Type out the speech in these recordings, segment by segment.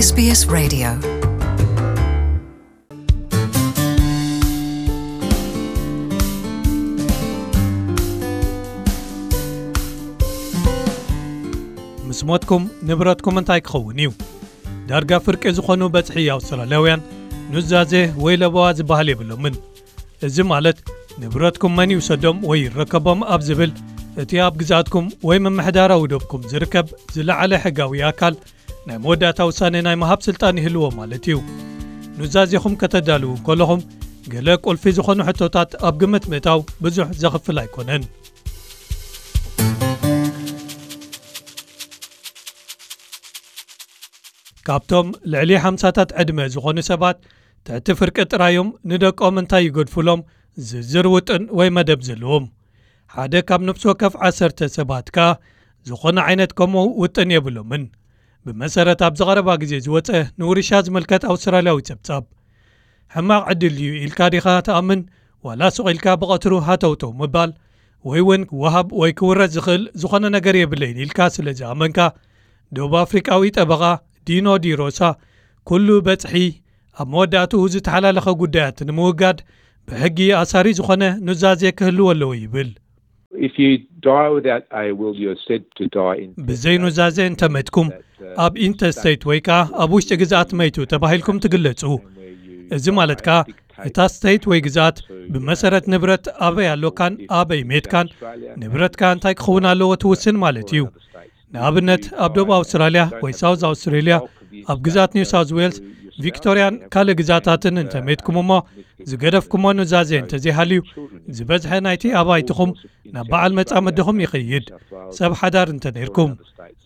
S B S Radio. ምስ ሞትኩም ንብረትኩም እንታይ ክኸውን እዩ? ዳርጋ ፍርቂ ዝኾኑ በጽሒ ኣውስትራልያውያን ኑዛዜ ወይ ለበዋ ዝበሃል የብሎምን። እዚ ማለት ንብረትኩም መን ይውሰዶም ወይ ይረከቦም ኣብ ዝብል እቲ ኣብ ግዛትኩም ወይ ምምሕዳራዊ ዶብኩም ዝርከብ ዝለዓለ ሕጋዊ ኣካል ናይ መወዳእታ ውሳኔ ናይ ምሃብ ስልጣን ይህልዎ ማለት እዩ። ኑዛዜኹም ከተዳልዉ ከለኹም ገለ ቁልፊ ዝኾኑ ሕቶታት ኣብ ግምት ምእታው ብዙሕ ዘኽፍል ኣይኮነን። ካብቶም ልዕሊ ሓምሳታት ዕድመ ዝኾኑ ሰባት ትሕቲ ፍርቂ ጥራዮም ንደቆም እንታይ ይገድፉሎም ዝርዝር ውጥን ወይ መደብ ዘለዎም። ሓደ ካብ ነፍሲ ወከፍ ዓሰርተ ሰባት ከኣ ዝኾነ ዓይነት ከምኡ ውጥን የብሎምን። ብመሰረት ኣብ ዝቐረባ ግዜ ዝወጸ ንውርሻ ዝምልከት ኣውስትራልያዊ ጸብጻብ። ሕማቕ ዕድል እዩ ኢልካ ዲኻ ትኣምን? ዋላ ሱቕ ኢልካ ብቐትሩ ሃተውተው ምባል፣ ወይ እውን ክወሃብ ወይ ክውረድ ዝኽእል ዝኾነ ነገር የብለይን ኢልካ ስለ ዝኣመንካ፣ ደቡብ ኣፍሪቃዊ ጠበቓ ዲኖ ዲ ሮሳ፣ ኩሉ በጽሒ ኣብ መወዳእትኡ ዝተሓላለኸ ጉዳያት ንምውጋድ ብሕጊ ኣሳሪ ዝኾነ ኑዛዜ ክህልዎ ኣለዎ ይብል። If you die without a will, you're said to die in ብዘይ ኑዛዜ እንተመትኩም ኣብ ኢንተስቴት ወይ ከኣ ኣብ ውሽጢ ግዝኣት መይቱ ተባሂልኩም ትግለጹ። እዚ ማለት ከኣ እታ ስቴት ወይ ግዝኣት ብመሰረት ንብረት ኣበይ ኣሎካን ኣበይ ሜትካን ንብረትካ እንታይ ክኸውን ኣለዎ ትውስን ማለት እዩ። ንኣብነት ኣብ ደቡብ ኣውስትራልያ ወይ ሳውዝ ኣውስትሬልያ ኣብ ግዝኣት ኒው ሳውዝ ዌልስ፣ ቪክቶርያን ካልእ ግዝኣታትን እንተመትኩም እሞ ዝገደፍኩሞ ኑዛዜ እንተዘይሃልዩ ዝበዝሐ ናይቲ ኣባይትኹም ናብ በዓል መጻምድኹም ይኸይድ። ሰብ ሓዳር እንተ ነይርኩም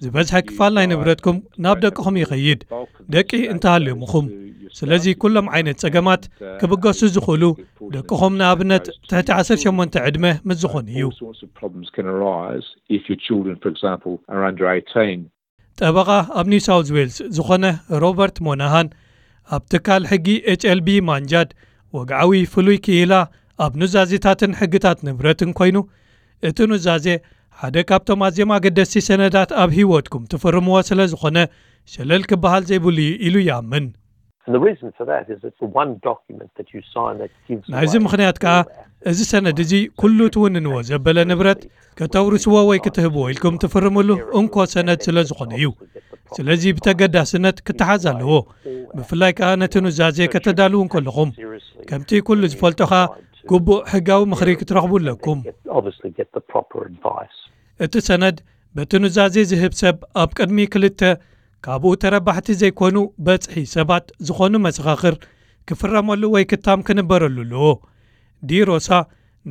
ዝበዝሐ ክፋል ናይ ንብረትኩም ናብ ደቅኹም ይኸይድ። ደቂ እንተሃልዮምኹም። ስለዚ ኩሎም ዓይነት ጸገማት ክብገሱ ዝኽእሉ ደቅኹም ንኣብነት ትሕቲ ዓሰርተ ሸሞንተ ዕድመ ምስ ዝኾኑ እዩ። All sorts of problems can arise if your children, for example, are under eighteen. ጠበቓ ኣብ ኒው ሳውዝ ዌልስ ዝኾነ ሮበርት ሞናሃን ኣብ ትካል ሕጊ ኤች ኤል ቢ ማንጃድ ወግዓዊ ፍሉይ ክኢላ ኣብ ኑዛዜታትን ሕግታት ንብረትን ኮይኑ፣ እቲ ኑዛዜ ሓደ ካብቶም ኣዝዮም ኣገደስቲ ሰነዳት ኣብ ህይወትኩም ትፍርምዎ ስለ ዝኾነ ሸለል ክበሃል ዘይብሉ እዩ ኢሉ ይኣምን። And the reason for that is it's the one document that you sign that gives ናይዚ away ምኽንያት ከኣ all assets. እዚ ሰነድ እዚ ኩሉ ትውንንዎ ዘበለ ንብረት ከተውርስዎ ወይ ክትህብዎ ኢልኩም ትፍርምሉ እንኮ ሰነድ ስለ ዝኾነ እዩ። ስለዚ ብተገዳስነት ክተሓዝ ኣለዎ። ብፍላይ ከኣ ነቲ ኑዛዜ ከተዳልዉ እንከለኹም። ከምቲ ኩሉ ዝፈልጦ ከኣ ግቡእ ሕጋዊ ምኽሪ ክትረኽቡ ኣለኩም። Obviously get the proper advice. እቲ ሰነድ በቲ ኑዛዜ ዝህብ ሰብ ኣብ ቅድሚ ክልተ ካብኡ ተረባሕቲ ዘይኮኑ በጽሒ ሰባት ዝኾኑ መሰኻኽር ክፍረመሉ ወይ ክታም ክንበረሉ ኣለዎ። ዲ ሮሳ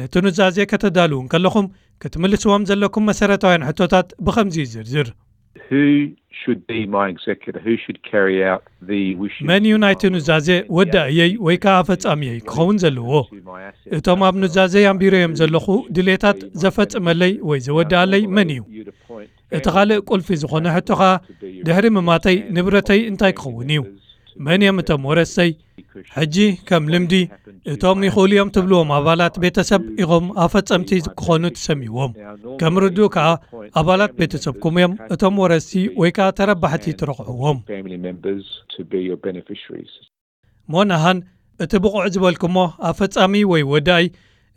ነቲ ኑዛዜ ከተዳልዉ እንከለኹም ክትምልስዎም ዘለኩም መሰረታውያን ሕቶታት ብኸምዚ ይዝርዝር። Who should be my executor? Who should carry out the wishes መን እዩ ናይቲ ኑዛዜ ወዳእየይ ወይ ከኣ ፈጻሚየይ ክኸውን ዘለዎ? እቶም ኣብ ኑዛዜ ኣንቢረዮም ዘለኹ ድሌታት ዘፈጽመለይ ወይ ዘወዳእለይ መን እዩ? እቲ ካልእ ቁልፊ ዝኾነ ሕቶ ኸኣ ድሕሪ ምማተይ ንብረተይ እንታይ ክኸውን እዩ? መን እዮም እቶም ወረሰይ? ሕጂ ከም ልምዲ እቶም ይኽእሉ እዮም ትብልዎም ኣባላት ቤተሰብ ኢኹም ኣፈጸምቲ ክኾኑ ትሰምይዎም። ከም ርዱእ ከኣ ኣባላት ቤተሰብኩም እዮም እቶም ወረስቲ ወይ ከኣ ተረባሕቲ ትረኽዕዎም። Family members to be your beneficiaries. ሞናሃን እቲ ብቑዕ ዝበልኩሞ ኣፈጻሚ ወይ ወዳኢ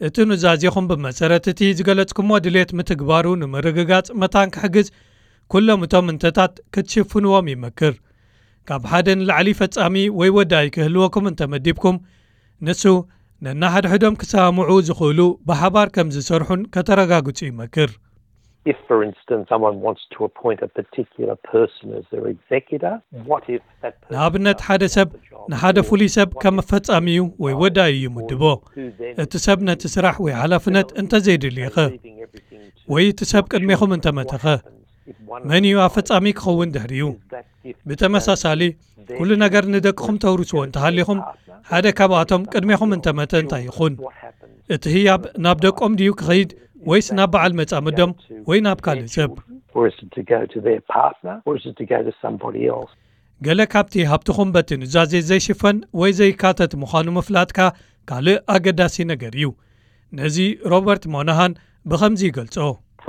እቲ ኑዛዜኹም ብመሰረት እቲ ዝገለጽኩሞ ድሌት ምትግባሩ ንምርግጋጽ መታን ክሕግዝ ኩሎም እቶም እንተታት ክትሽፍንዎም ይመክር። ካብ ሓደ ንላዕሊ ፈጻሚ ወይ ወዳኢ ክህልወኩም እንተመዲብኩም ንሱ ነናሓድሕዶም ክሰማምዑ ዝኽእሉ ብሓባር ከም ዝሰርሑን ከተረጋግጹ ይመክር። If, for instance, someone wants to appoint a particular person as their executor, what if that person ንኣብነት ሓደ ሰብ ንሓደ ፍሉይ ሰብ ከም ፈጻሚኡ ወይ ወዳኢኡ ይምድቦ። እቲ ሰብ ነቲ ስራሕ ወይ ሓላፍነት እንተዘይድልዩኸ ወይ እቲ ሰብ ቅድሜኹም እንተመተኸ መን እዩ ኣፈጻሚ ክኸውን ድሕሪኡ? ብተመሳሳሊ ኩሉ ነገር ንደቅኹም ተውርስዎ እንተሃሊኹም ሓደ ካብኣቶም ቅድሜኹም እንተመተ እንታይ ይኹን? እቲ ህያብ ናብ ደቆም ድዩ ክኸይድ ወይስ ናብ በዓል መጻምዶም ወይ ናብ ካልእ ሰብ? Or is it to go to their partner or is it to go to somebody else? ገለ ካብቲ ሃብትኹም በቲ ኑዛዜ ዘይሽፈን ወይ ዘይካተት ምዃኑ ምፍላጥካ ካልእ ኣገዳሲ ነገር እዩ። ነዚ ሮበርት ሞናሃን ብኸምዚ ይገልጾ።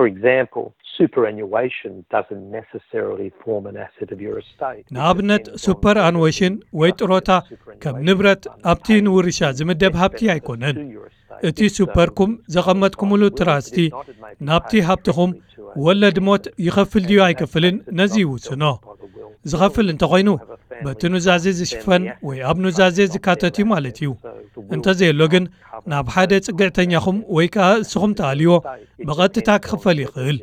For example, superannuation doesn't necessarily form an asset of your estate. ንኣብነት ሱፐር ኣኑዌሽን ወይ ጥሮታ ከም ንብረት ኣብቲ ንውርሻ ዝምደብ ሃብቲ ኣይኮነን። እቲ ሱፐርኩም ዘቐመጥኩምሉ ትራስቲ ናብቲ ሃብትኹም ወለድ ሞት ይኸፍል ድዩ ኣይከፍልን ነዚ ይውስኖ። ዝኸፍል እንተኾይኑ በቲ ኑዛዜ ዝሽፈን ወይ ኣብ ኑዛዜ ዝካተት እዩ ማለት እዩ። እንተዘየሎ ግን ናብ ሓደ ጽግዕተኛኹም ወይ ከኣ እስኹም ትኣልዮ ብቐጥታ ክኽፈል ይኽእል።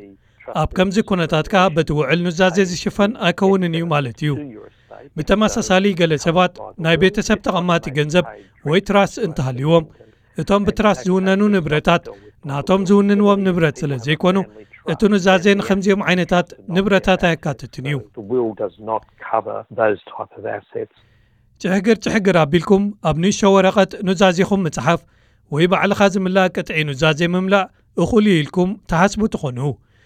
ኣብ ከምዚ ኩነታት ከኣ በቲ ውዕል ኑዛዜ ዝሽፈን ኣይከውንን እዩ ማለት እዩ። ብተመሳሳሊ ገለ ሰባት ናይ ቤተሰብ ተቐማጢ ገንዘብ ወይ ትራስት እንተሃልይዎም እቶም ብትራስት ዝውነኑ ንብረታት ናቶም ዝውንንዎም ንብረት ስለ ዘይኮኑ እቲ ኑዛዜ ንከምዚኦም ዓይነታት ንብረታት ኣየካትትን እዩ። The will does not cover those type of assets. ጭሕግር ጭሕግር ኣቢልኩም ኣብ ንእሽቶ ወረቐት ኑዛዜኹም ምጽሓፍ ወይ ባዕልኻ ዝምላእ ቅጥዒ ኑዛዜ ምምላእ እኹል እዩ ኢልኩም ትሓስቡ ትኾኑ።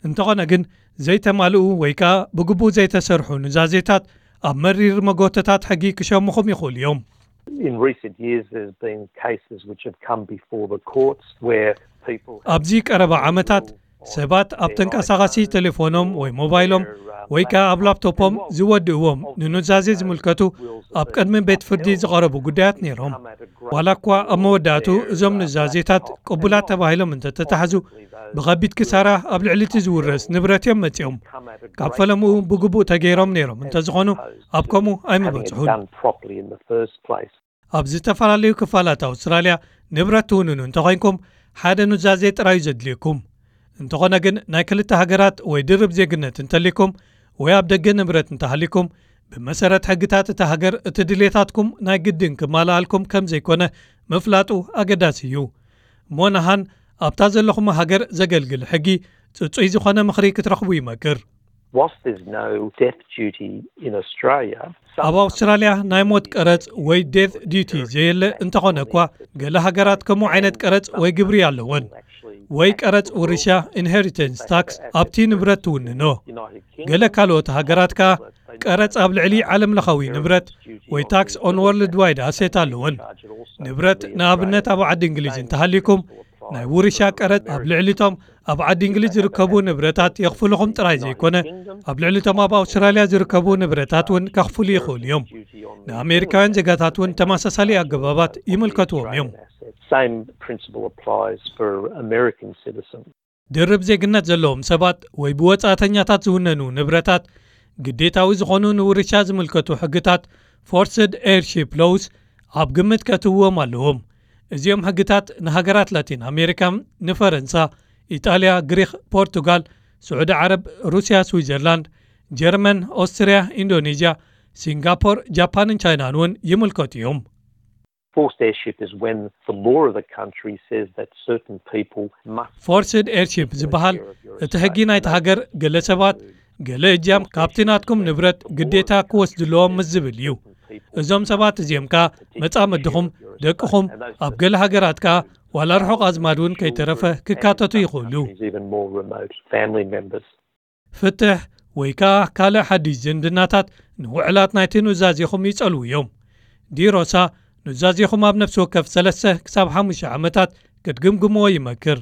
እንተኾነ ግን ዘይተማልኡ ወይ ከኣ ብግቡእ ዘይተሰርሑ ኑዛዜታት ኣብ መሪር መጎተታት ሕጊ ክሸሙኹም ይኽእሉ እዮም። In recent years, there's been cases which have come before the courts where people have ኣብዚ ቀረባ ዓመታት ሰባት ኣብ ተንቀሳቓሲ ቴሌፎኖም ወይ ሞባይሎም ወይ ከኣ ኣብ ላፕቶፖም ዝወድእዎም ንኑዛዜ ዝምልከቱ ኣብ ቅድሚ ቤት ፍርዲ ዝቐረቡ ጉዳያት ነይሮም። ዋላ እኳ ኣብ መወዳእቱ እዞም ኑዛዜታት ቅቡላት ተባሂሎም እንተተታሕዙ ብኸቢድ ክሳራ ኣብ ልዕሊ እቲ ዝውረስ ንብረት እዮም መጺኦም። ካብ ፈለምኡ ብግቡእ ተገይሮም ነይሮም እንተዝኾኑ ኣብ ከምኡ ኣይምበጽሑን። done properly in the first place. ኣብ ዝተፈላለዩ ክፋላት ኣውስትራልያ ንብረት ትውንኑ እንተኾይንኩም ሓደ ኑዛዜ ጥራዩ ዘድልየኩም። እንተኾነ ግን ናይ ክልተ ሃገራት ወይ ድርብ ዜግነት እንተሊኩም ወይ ኣብ ደገ ንብረት እንተሃሊኩም ብመሰረት ሕግታት እታ ሃገር እቲ ድሌታትኩም ናይ ግድን ክማልኣልኩም ከም ዘይኮነ ምፍላጡ ኣገዳሲ እዩ። ሞናሃን ኣብታ ዘለኹም ሃገር ዘገልግል ሕጊ ጽጹይ ዝኾነ ምኽሪ ክትረኽቡ ይመክር። Whilst there's no death duty in Australia, ኣብ ኣውስትራልያ ናይ ሞት ቀረጽ ወይ ዴት ዲቲ ዘየለ እንተኾነ እኳ ገለ ሃገራት ከምኡ ዓይነት ቀረጽ ወይ ግብሪ ኣለወን። ወይ ቀረጽ ውርሻ ኢንሄሪተንስ ታክስ ኣብቲ ንብረት ትውንኖ። ገለ ካልኦት ሃገራት ከኣ ቀረጽ ኣብ ልዕሊ ዓለም ለኻዊ ንብረት ወይ ታክስ ኦን ወርልድ ዋይድ ኣሴት ኣለወን። ንብረት ንኣብነት ኣብ ዓዲ እንግሊዝ እንተሃሊኩም ናይ ውርሻ ቀረጽ ኣብ ልዕሊቶም ኣብ ዓዲ እንግሊዝ ዝርከቡ ንብረታት የኽፍልኹም ጥራይ ዘይኮነ ኣብ ልዕሊቶም ኣብ ኣውስትራልያ ዝርከቡ ንብረታት እውን ከኽፍሉ ይኽእሉ እዮም። ንኣሜሪካውያን ዜጋታት እውን ተመሳሳሊ ኣገባባት ይምልከትዎም እዮም። same principle applies for American citizens. ድርብ ዜግነት ዘለዎም ሰባት ወይ ብወጻእተኛታት ዝውነኑ ንብረታት ግዴታዊ ዝኾኑ ንውርሻ ዝምልከቱ ሕግታት ፎርስድ ኤርሺፕ ሎውስ ኣብ ግምት ከእትውዎም ኣለዎም። እዚኦም ሕግታት ንሃገራት ላቲን ኣሜሪካ፣ ንፈረንሳ፣ ኢጣልያ፣ ግሪኽ፣ ፖርቱጋል፣ ስዑዲ ዓረብ፣ ሩስያ፣ ስዊዘርላንድ፣ ጀርመን፣ ኦስትርያ፣ ኢንዶኔዥያ፣ ሲንጋፖር፣ ጃፓንን ቻይናን እውን ይምልከቱ እዮም። Forced heirship is when the law of the country says that certain people must ፎርስድ ኤርሺፕ ዝበሃል እቲ ሕጊ ናይቲ ሃገር ገለ ሰባት ገለ እጃም ካብቲ ናትኩም ንብረት ግዴታ ክወስድለዎም ምስ ዝብል እዩ። እዞም ሰባት እዚኦም ከኣ መጻምድኹም፣ ደቅኹም፣ ኣብ ገለ ሃገራት ከኣ ዋላ ርሑቕ ኣዝማድ እውን ከይተረፈ ክካተቱ ይኽእሉ። Even more remote family members. ፍትሕ ወይ ከኣ ካልእ ሓድሽ ዝምድናታት ንውዕላት ናይቲ ኑዛዜኹም ይጸልዉ እዮም። ዲሮሳ ኑዛዜኹም ኣብ ነፍሲ ወከፍ ሰለስተ ክሳብ ሓሙሽተ ዓመታት ክትግምግምዎ ይመክር።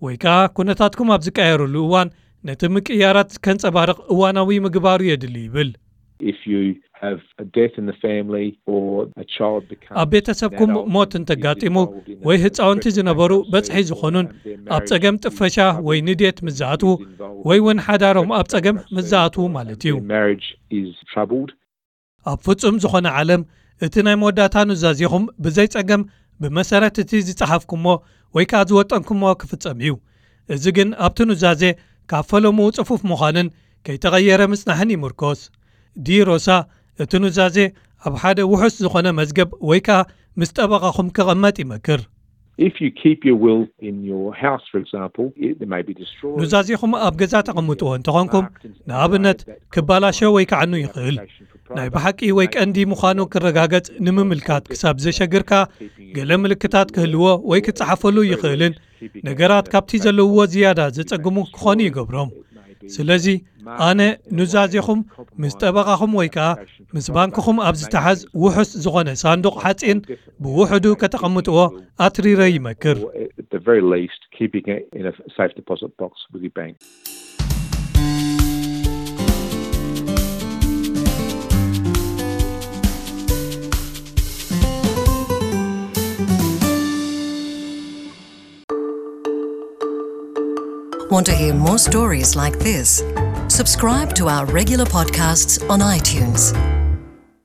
ወይ ከኣ ኩነታትኩም ኣብ ዝቀየረሉ እዋን ነቲ ምቅያራት ከንጸባርቕ እዋናዊ ምግባሩ የድሊ ይብል። If you have a death in the family or a child becomes ኣብ ቤተሰብኩም ሞት እንተጋጢሙ ወይ ህፃውንቲ ዝነበሩ በፅሒ ዝኾኑን ኣብ ፀገም ጥፈሻ ወይ ንዴት ምዝኣትዉ ወይ እውን ሓዳሮም ኣብ ፀገም ምዝኣትዉ ማለት እዩ። Marriage is troubled. ኣብ ፍጹም ዝኾነ ዓለም እቲ ናይ መወዳእታ ኑዛዜኹም ብዘይ ጸገም ብመሰረት እቲ ዝጸሓፍኩሞ ወይ ከኣ ዝወጠንኩሞ ክፍጸም እዩ። እዚ ግን ኣብቲ ኑዛዜ ካብ ፈለምኡ ጽፉፍ ምዃንን ከይተቐየረ ምጽናሕን ይምርኮስ። ዲሮሳ እቲ ኑዛዜ ኣብ ሓደ ውሑስ ዝኾነ መዝገብ ወይ ከኣ ምስ ጠበቓኹም ክቐመጥ ይመክር። If you keep your will in your house, for example, it may be destroyed. ኑዛዜኹም ኣብ ገዛ ተቐምጥዎ እንተኾንኩም ንኣብነት ክባላሸ ወይ ከዓኑ ይኽእል። ናይ ብሓቂ ወይ ቀንዲ ምዃኑ ክረጋገጽ ንምምልካት ክሳብ ዘሸግርካ ገለ ምልክታት ክህልዎ ወይ ክጸሓፈሉ ይኽእልን ነገራት ካብቲ ዘለውዎ ዝያዳ ዘጸግሙ ክኾኑ ይገብሮም። ስለዚ ኣነ ኑዛዜኹም ምስ ጠበቓኹም ወይ ከኣ ምስ ባንክኹም ኣብ ዝተሓዝ ውሑስ ዝኾነ ሳንዱቕ ሓጺን ብውሕዱ ከተቐምጥዎ ኣትሪረ ይመክር። At the very least, keeping it in a safe deposit box with your bank. Want to hear more stories like this? Subscribe to our regular podcasts on iTunes.